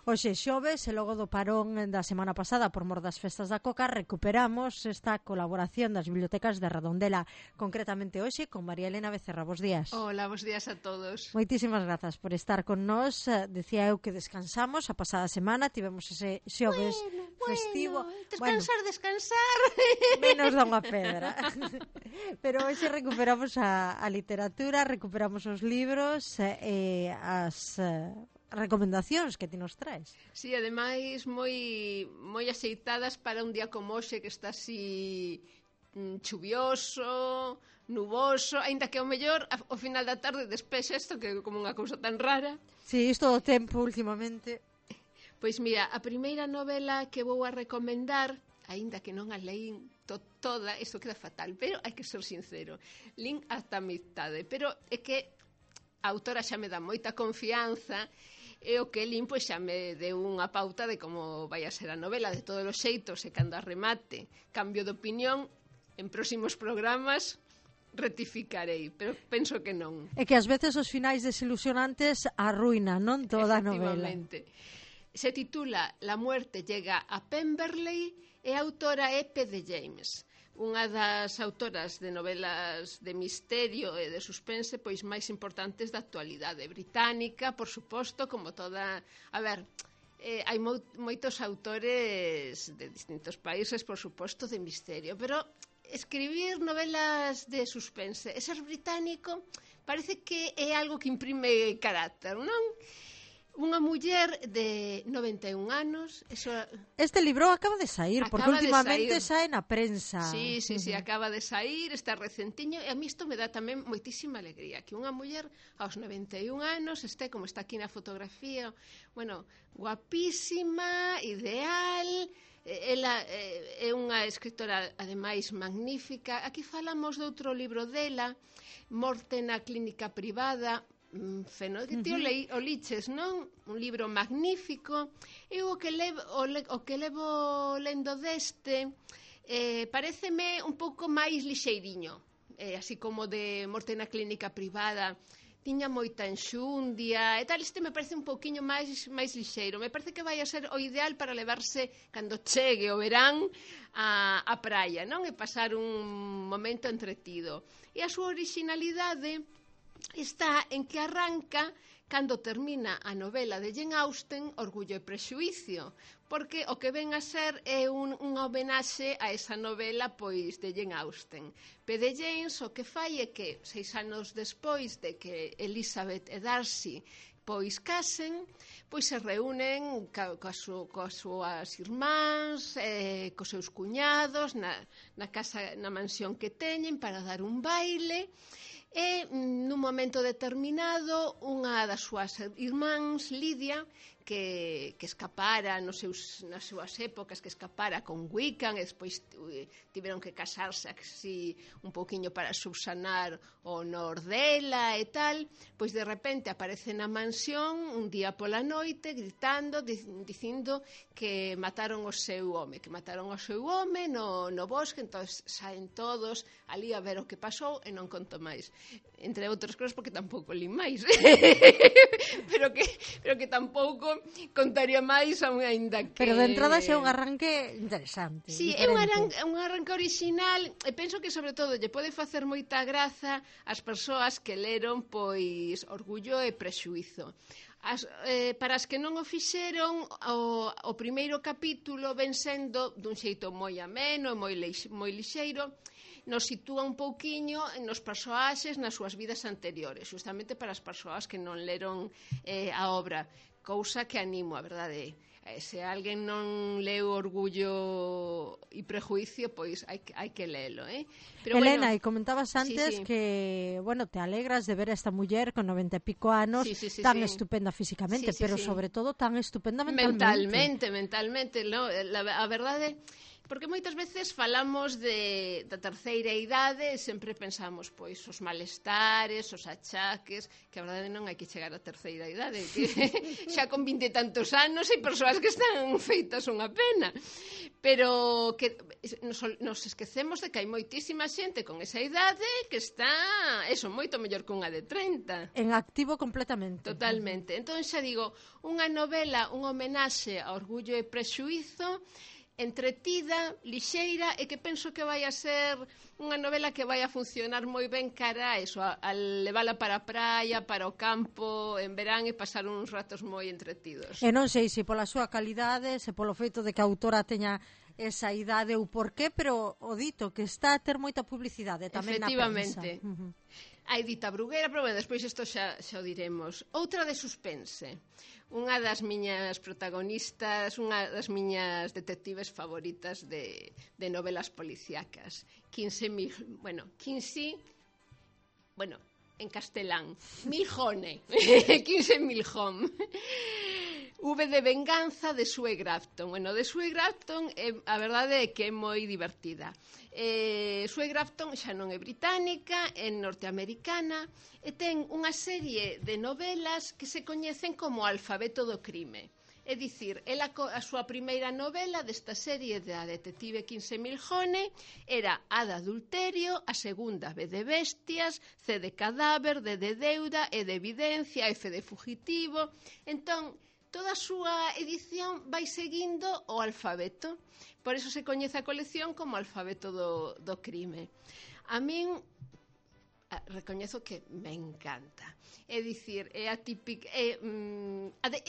Hoxe xoves, e logo do parón da semana pasada por mor das festas da Coca, recuperamos esta colaboración das bibliotecas de Redondela, concretamente hoxe con María Elena Becerra. Bos días. Hola, bos días a todos. Moitísimas grazas por estar con nós. Decía eu que descansamos a pasada semana, tivemos ese xoves festivo. Descansar. Menos da unha pedra. Pero hoxe recuperamos a literatura, recuperamos os libros e as recomendacións que ti nos traes. Sí, ademais moi axeitadas para un día como hoxe que está así chuvioso, nuboso, aínda que ao mellor ao final da tarde despexa isto que é como unha cousa tan rara. Sí, isto do tempo últimamente. Pois mira, a primeira novela que vou a recomendar, aínda que non a leín toda, isto queda fatal, pero hai que ser sincero, lín ata a mitade, pero é que a autora xa me dá moita confianza e o que lín pois xa me deu unha pauta de como vai a ser a novela. De todos os xeitos, e cando a remate cambio de opinión, en próximos programas rectificarei, pero penso que non. É que ás veces os finais desilusionantes arruinan, non, toda a novela. Efectivamente. Se titula La muerte llega a Pemberley e a autora é P.D. James, unha das autoras de novelas de misterio e de suspense pois máis importantes da actualidade británica, por suposto, como toda... A ver, hai moitos autores de distintos países, por suposto, de misterio, pero escribir novelas de suspense e ser británico parece que é algo que imprime carácter, non? Unha muller de 91 anos... Este libro acaba de sair, porque últimamente sae na prensa. Sí, acaba de sair, está recentiño, e a mí isto me dá tamén moitísima alegría, que unha muller aos 91 anos este como está aquí na fotografía, bueno, guapísima, ideal... Ela é unha escritora, ademais, magnífica. Aquí falamos de outro libro dela, Morte na clínica privada, que ti o liches, non? Un libro magnífico. E o que levo lendo deste pareceme un pouco máis lixeiriño, así como de Morte na clínica privada tiña moita enxundia e tal. Este me parece un pouquiño máis lixeiro. Me parece que vai a ser o ideal para levarse cando chegue o verán a praia, non? E pasar un momento entretido. E a súa originalidade está en que arranca cando termina a novela de Jane Austen, Orgullo e Prexuízo, porque o que ven a ser é unha homenaxe a esa novela pois de Jane Austen. P.D. James o que fai é que 6 anos despois de que Elizabeth e Darcy pois casen, pois se reúnen coas súas irmáns, cos seus cuñados na casa, na mansión que teñen para dar un baile. E nun momento determinado unha das súas irmáns, Lidia, que escapara nas súas épocas, que escapara con Wiccan e despois tiveron que casarse así un pouquiño para subsanar o honor dela e tal, pois de repente aparece na mansión un día pola noite gritando, dicindo que mataron o seu home no bosque. Entón saen todos ali a ver o que pasou e non conto máis, entre outras cousas porque tampouco li máis pero que tampouco contaría máis aínda que... Pero de entrada xa é un arranque interesante. Sí, diferente. É un arranque original e penso que sobre todo lle pode facer moita graza ás persoas que leron pois Orgullo e Prexuízo. Para as que non o fixeron, o primeiro capítulo ven sendo dun xeito moi ameno, moi lixeiro, nos sitúa un pouquiño nos persoaxes nas súas vidas anteriores, justamente para as persoas que non leron a obra, cousa que animo, a verdade. Se alguén non leu Orgullo e Prejuicio, pois hai que lelo, Pero Elena, e comentabas antes que, bueno, te alegras de ver a esta muller con 90 e pico anos tan estupenda físicamente, pero sobre todo tan estupenda mentalmente. Mentalmente, no? A verdade... Porque moitas veces falamos da terceira idade e sempre pensamos pois os malestares, os achaques, que a verdade non hai que chegar á terceira idade, que xa con 20 e tantos anos hai persoas que están feitas unha pena. pero que nos esquecemos de que hai moitísima xente con esa idade que está, eso, moito mellor que unha de 30. En activo completamente. Totalmente. Entón xa digo, unha novela, unha homenaxe a Orgullo e Prexuízo, entretida, lixeira, e que penso que vai a ser unha novela que vai a funcionar moi ben cara a eso, a levala para a praia, para o campo, en verán, e pasar uns ratos moi entretidos. E non sei se pola súa calidade, se polo feito de que a autora teña esa idade ou por qué, pero o dito que está a ter moita publicidade tamén na prensa. Efectivamente. A Edita Bruguera, pero bueno, despois isto xa o diremos. Outra de suspense. Unha das miñas protagonistas, unha das miñas detectives favoritas de novelas policíacas. Kinsey, en castelán, Milhone. Kinsey Milhone. V de Venganza de Sue Grafton. Bueno, de Sue Grafton, a verdade é que é moi divertida. Sue Grafton xa non é británica, é norteamericana, e ten unha serie de novelas que se coñecen como Alfabeto do crime. É dicir, a súa primeira novela desta serie da detective Kinsey Milhone era A de adulterio, a segunda B de bestias, C de cadáver, D de deuda, E de evidencia, F de fugitivo. Entón, toda a súa edición vai seguindo o alfabeto. Por eso se coñece a colección como Alfabeto do crime. A min recoñezo que me encanta. É dicir, é a típica, é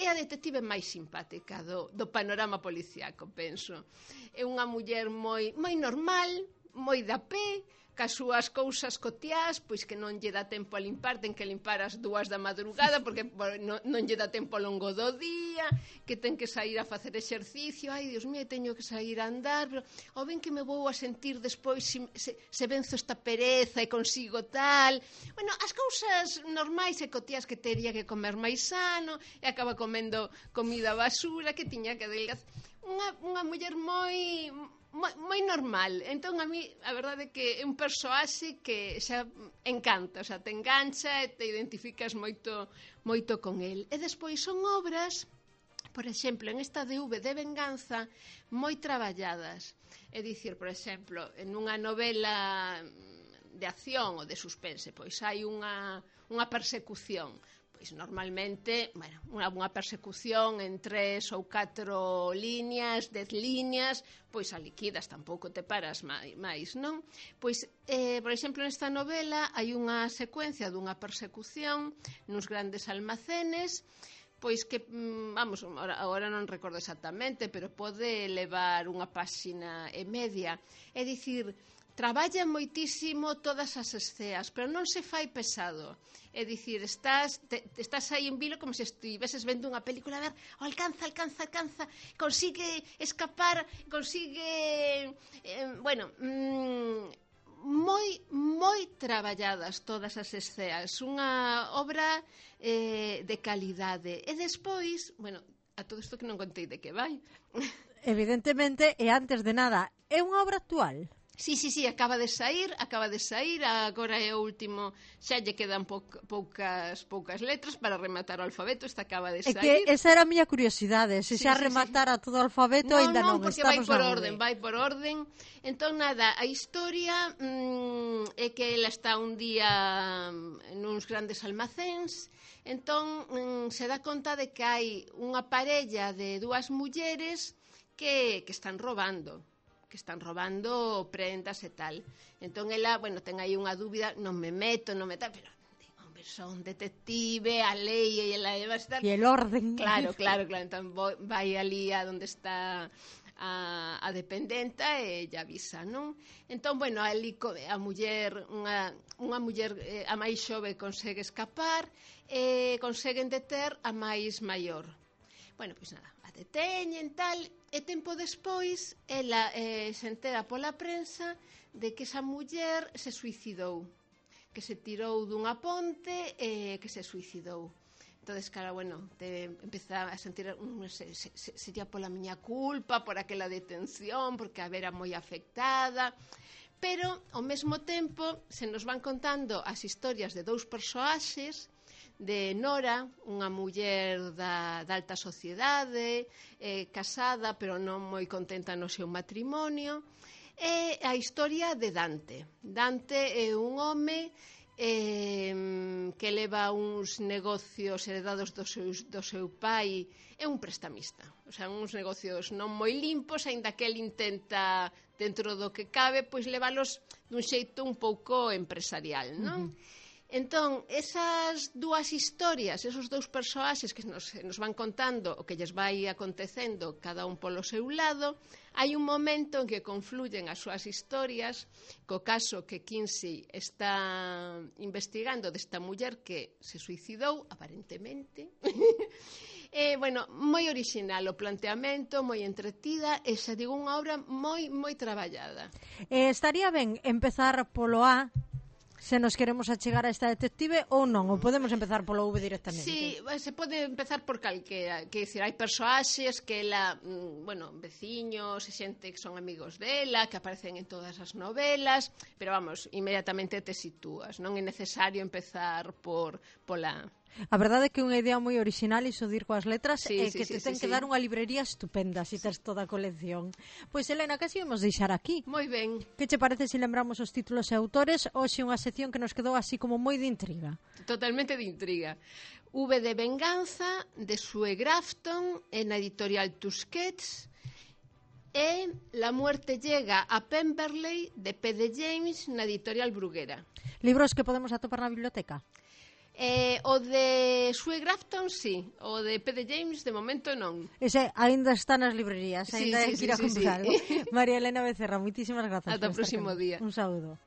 a detective máis simpática do panorama policíaco, penso. É unha muller moi normal, moi da pé, cas súas cousas cotiás, pois que non lle dá tempo a limpar, ten que limpar as 2 da madrugada porque non lle dá tempo ao longo do día, que ten que sair a facer exercicio, ai, Dios mío, teño que sair a andar, pero o ben que me vou a sentir despois se venzo esta pereza e consigo tal. Bueno, as cousas normais e cotiás que tería que comer máis sano, e acaba comendo comida basura, que tiña que adelgazar. Unha muller moi normal. Entón, a mí, a verdade é que é un persoaxe que xa encanta, o sea, te engancha e te identificas moito con el. E despois son obras, por exemplo, en esta de V de Venganza, moi traballadas. É dicir, por exemplo, en unha novela de acción ou de suspense, pois hai unha persecución. Pois normalmente, bueno, unha persecución en 3 ou 4 líneas, 10 líneas, pois a liquidas, tampouco te paras máis, non? Pois, por exemplo, nesta novela hai unha secuencia dunha persecución nuns grandes almacenes, pois que, vamos, agora non recordo exactamente, pero pode levar unha páxina e media. É dicir, traballa moitísimo todas as esceas, pero non se fai pesado. É dicir, estás aí en vilo como se estiveses vendo unha película, a ver, alcanza, consigue escapar, consigue... moi traballadas todas as esceas. Unha obra de calidade. E despois, bueno, a todo isto que non contei de que vai. Evidentemente, e antes de nada, é unha obra actual? Sí, acaba de sair, agora é o último, xa lle quedan poucas letras para rematar o alfabeto, esta acaba de sair. É que esa era a miña curiosidade, se xa rematara todo o alfabeto, ainda non, porque vai por orden. Entón, nada, a historia é que ela está un día nuns grandes almacéns, entón se dá conta de que hai unha parella de 2 mulleres que están robando prendas e tal. Entón ela, bueno, ten aí unha dúbida, non me meto, pero hombre, son detective, a lei e ela vai estar... E el orden. Claro, entón vai ali a onde está a dependenta e lle avisa, non? Entón, bueno, ali a muller, unha muller, a máis xove consegue escapar e conseguen deter a máis maior. Bueno, pois nada, a deteñen tal, e tempo despois ela se entera pola prensa de que esa muller se suicidou, que se tirou dunha ponte e que se suicidou. Entonces, claro, bueno, te empeza a sentir sería pola miña culpa, por aquela detención, porque a vera moi afectada, pero ao mesmo tempo se nos van contando as historias de 2 persoaxes de Nora, unha muller da alta sociedade, casada, pero non moi contenta no seu matrimonio, e a historia de Dante. Dante é un home que leva uns negocios heredados do seu pai, é un prestamista, o sea, uns negocios non moi limpos, aínda que el intenta, dentro do que cabe, pois leválos dun xeito un pouco empresarial, non? Entón, esas dúas historias, esos dous persoaxes que nos van contando o que lles vai acontecendo cada un polo seu lado, hai un momento en que confluyen as súas historias co caso que Kinsey está investigando desta muller que se suicidou, aparentemente. Bueno, moi original o planteamento, moi entretida, e xa digo, unha obra moi traballada. Estaría ben empezar polo A, se nos queremos achegar a esta detective, ou non, ou podemos empezar polo V directamente? Sí, se pode empezar por calquera, que dicir, hai persoaxes que ela, veciños e xente que son amigos dela, que aparecen en todas as novelas, pero vamos, inmediatamente te sitúas, non é necesario empezar pola... A verdade é que é unha idea moi original iso de ir coas letras, sí, que te ten que dar unha librería estupenda se tes toda a colección. Pois, Elena, casi vamos deixar aquí. Moi ben. Que che parece se lembramos os títulos e autores? Hoxe unha sección que nos quedou así como moi de intriga. Totalmente de intriga. V de Venganza, de Sue Grafton, en a editorial Tusquets, e La muerte llega a Pemberley, de P. de James, na editorial Bruguera. Libros que podemos atopar na biblioteca? O de Sue Grafton, sí. O de P. de James, de momento, non. Ese ainda está nas librerías, ainda hai que ir a comprar algo. María Elena Becerra, moitísimas grazas. Ata o próximo día. Un saúdo.